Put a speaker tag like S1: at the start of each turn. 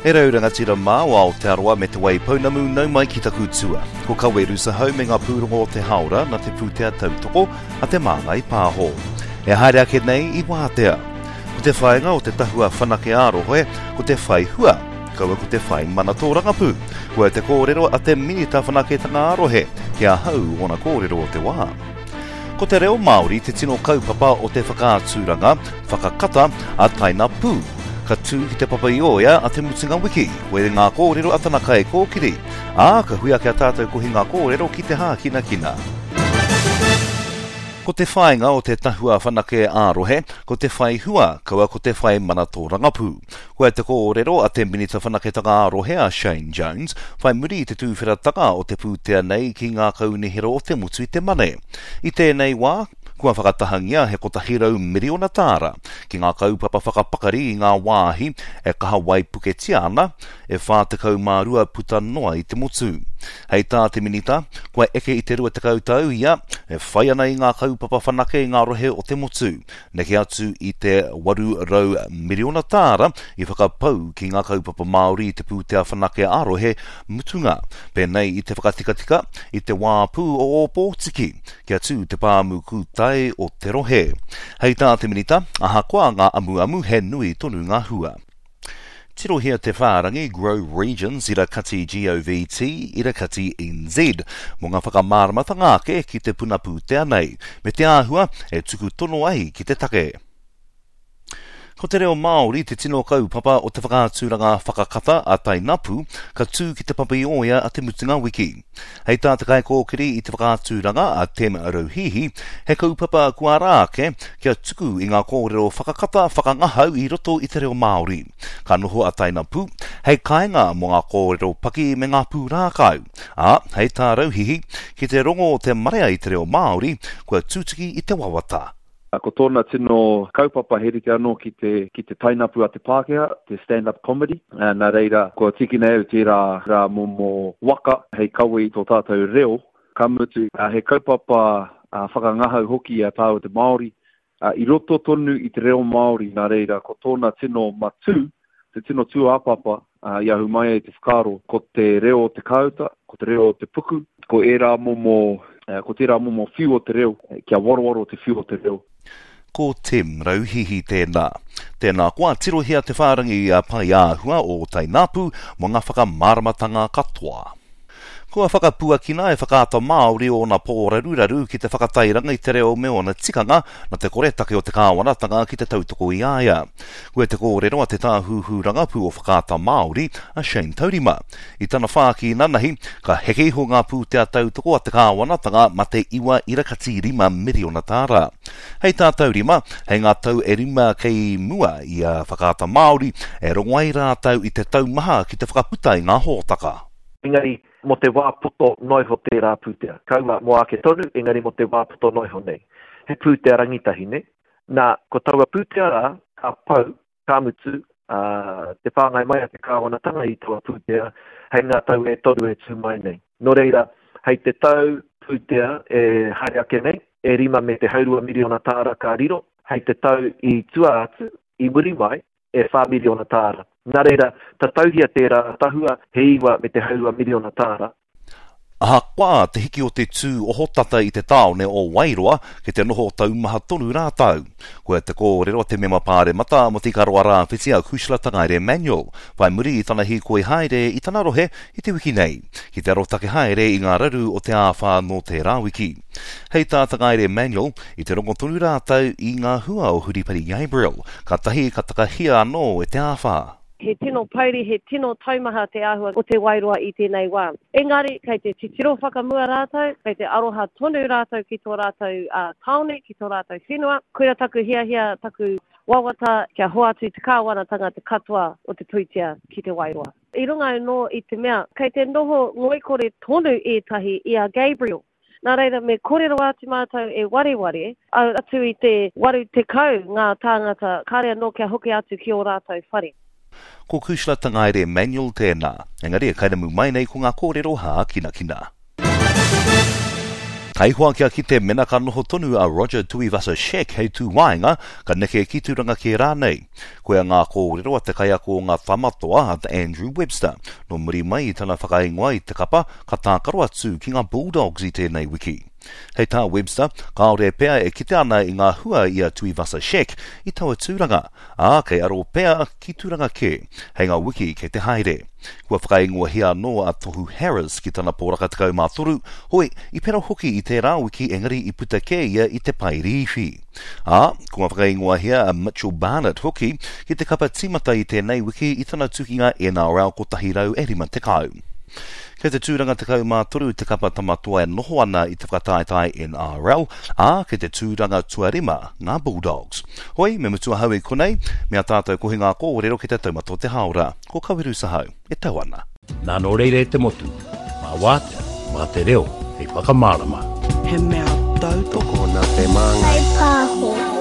S1: E rau rangatira mā o Aotearoa me Te Waipounamu nau mai ki taku tua. Ko Kawe Rusahau me ngā pūrongo o te hāora na te pūtea tautoko a Te Māngai Pāho. E haere ake nei i wātea. Ko te whāinga o te tahua whanake ā-rohe ko te whai hua, kaua ko te whai mana tōrangapū. Koia te kōrero a te Minita Whanaketanga ā-Rohe ki ahau ōna kōrero o te wā. Ko te reo Māori te tino kaupapa o te whakaaturanga whakakata a Taina Pū. Ka tū ki Te Papa-i-ōea a te mutunga wiki, koe ngā kōrero a tana kaikōkiri, ā, ka hui ake a tātou kohinga kōrero ki te hākinakina. Ko te whāinga o te Tahua Whanake ā-Rohe, ko te whai hua, kaua ko te whai mana tōrangapū. Koia te kōrero a te Minita Whanaketanga ā-Rohe a Shane Jones, whai muri i te tūwheratanga o te pūtea nei ki ngā kaunihera o te motu i te Mane. I tēnei wā, kua whakatahangia he 100 miriona tāra ki ngā kaupapa whakapakari i ngā wāhi e kaha waipuketia ana, e 42 puta noa i te motu. Hei tā te Minita, kua eke i te 20 tau ia e whai ana i ngā kaupapa whanake i ngā rohe o te motu, neke atu i te 800 miriona tāra i whakapau ki ngā kaupapa Māori i te pūtea whanake ā-rohe mutunga, pēnei i te whakatikatika i te wāpū o Ōpōtiki kia tū te pāmu kūtai o te rohe. Hei tā te Minita, ahakoa ngā amuamu he nui tonu ngā hua. Tirohia te whārangi Grow Regions ira kati govt ira kati nz mō ngā whakamāramatanga ake ki te puna pūtea nei, me te āhua e tuku tono ai ki te take. Ko te reo Māori te tino kaupapa o te whakaaturanga whakakata a Tainapu, ka tū ki Te Papa-i-ōea a te mutunga wiki. Hei tā te kaikōkiri i te whakaaturanga a Tem Rauhihi, he kaupapa kua ara ake kia tuku i ngā kōrero whakakata whakangahau i roto i te reo Māori. Ka noho a Tainapu hei kāinga mō ngā kōrero paki me ngā pūrākau, ā, hei tā Rauhihi, ki te rongo te marea i te reo Māori, kua tutuki i te wawata.
S2: Ko tōna tino kaupapa he rite anō ki te, ki te tainapu a te Pākehā, te stand-up comedy. Nā reira, kua tīkina e au tērā rā momo waka hei kawe i tō tātou reo, ka mutu, he kaupapa whakangahau hoki i a tāua te Māori, i roto tonu i te reo Māori, nā reira, ko tōna tino matū, te tino tūāpapa i ahu mai ai te whakaaro, ko te reo o te kāuta, ko te reo o te puku, ko ērā momo, ko tērā momo whiu o te reo, kia warowaro te whiu o te reo.
S1: Ko Tim Rauhihi tēnā. Tēnā koa, tirohia te whārangi paeāhua o Tainapu mō ngā whakamāramatanga katoa. Kua whakapuakina e Whakaata Māori ōna pōraruraru ki te whakatairanga i te reo me ōna tikanga nā te koretake o te kāwanatanga ki te tautoko i a ia. Koia te kōrero a te Tāhuhu Rangapū o Whakaata Māori, a Shane Taurima. I tana whāki inanahi, ka heke iho ngā pūtea tautoko a te kāwanatanga ma te 9.5 miriona tāra. Hei tā Taurima, hei ngā tau e rima kei mua i a Whakaata Māori, e rongo ai rātou i te taumaha ki te whakaputa i ngā hōtaka.
S3: Engari, mō te wā poto noa iho tērā pūtea. Kaua mō ake tonu, engari mō te wā poto noa iho nei. He pūtea rangitahi, nē? Nā, ko taua pūtea rā, ka pau, ka mutu, ā, te whāngai mai a te kāwanatanga i taua pūtea hei ngā tau e toru e tū mai nei. Nō reira, hei te tau pūtea e haere ake nei, e rima me te haurua miriona tāra ka riro, hei te tau i tua atu, i muri mai, e wha miriona tāra. Nā reira, tatauhia tērā tahua he iwa me te haurua miriona tāra.
S1: Ahakoa te hiki o te tū ohotata i te tāone o Wairoa, kei te noho taumaha tonu rātou. Koia te kōrero a te mema pāremata mō Te Ikaroa Rāwhiti a Cushla Tangaere Manuel, whai muri i tana hīkoi haere i tana rohe i te wiki nei, ki te arotake haere i ngā raru o te āwhā nō tērā wiki. Hei tā Tangaere Manuel, i te rongo tonu rātou i ngā hua o Huripari Gabriel, kātahi ka takahia anō e te āwhā.
S4: He tino pouri, he tino taumaha te āhua o Te Wairoa i tēnei wā. Engari, kei te titiro whakamua rātou, kei te aroha tonu rātou ki tō rātou tāone, ki tō rātou whenua. Koira taku hiahia, taku wawata kia hoatu te kāwanatanga te katoa o te pūtea ki Te Wairoa. I runga anō i te mea, kei te noho ngoikore tonu ētahi i a Gabriel. Nā reira me korero atu mātou e wareware, atu i te 80 ngā tāngata kāre anō kia hoki atu ki ō rātou whare.
S1: Ko Cushla Tangaere Manuel tēnā. Engari e kairamu mai nei ko ngā kōrero hākinakina. Taihoa kia kite mena ka noho tonu a Roger Tuivasa-Sheck hei tū waenga, ka neke ki tūranga kē rānei. Koia ngā kōrero a te kaiako o ngā Tamatoa, a Andrew Webster, nō muri mai i tana whakaingoa i te kapa ka tākaro atu ki ngā Bulldogs i tēnei wiki. Hei tā Webster, kāore pea e kite ana i ngā hua i a Tuivasa-Sheck i taua tūranga, ā, kei aro pea ki tūranga kē hei ngā wiki kei te haere. Kua whakaingoahia anō a Tohu Harris ki tana poraka 13, hoi, i pera hoki i tērā wiki engari i puta kē ia i te pae rīwhi. Ā, kua whakaingoahia a Mitchell Barnett hoki ki te kapa tīmata i tēnei wiki i tana tukinga NRL 150. Kei te tūranga 13 te kapa Tama Toa e noho ana i te whakataetae NRL, ā, kei te tūranga tuarima ngā Bulldogs. Hoi, me mutu ahau i konei, me a tātou kohinga kōrero ki te taumata o te hāora. Ko Kaweru Sahau, e tau ana.
S5: Nā nō reira e te motu, mā wātea, mā te reo hei whakamārama.
S6: He mea tautoko
S7: nā te māngai.
S8: Pāho.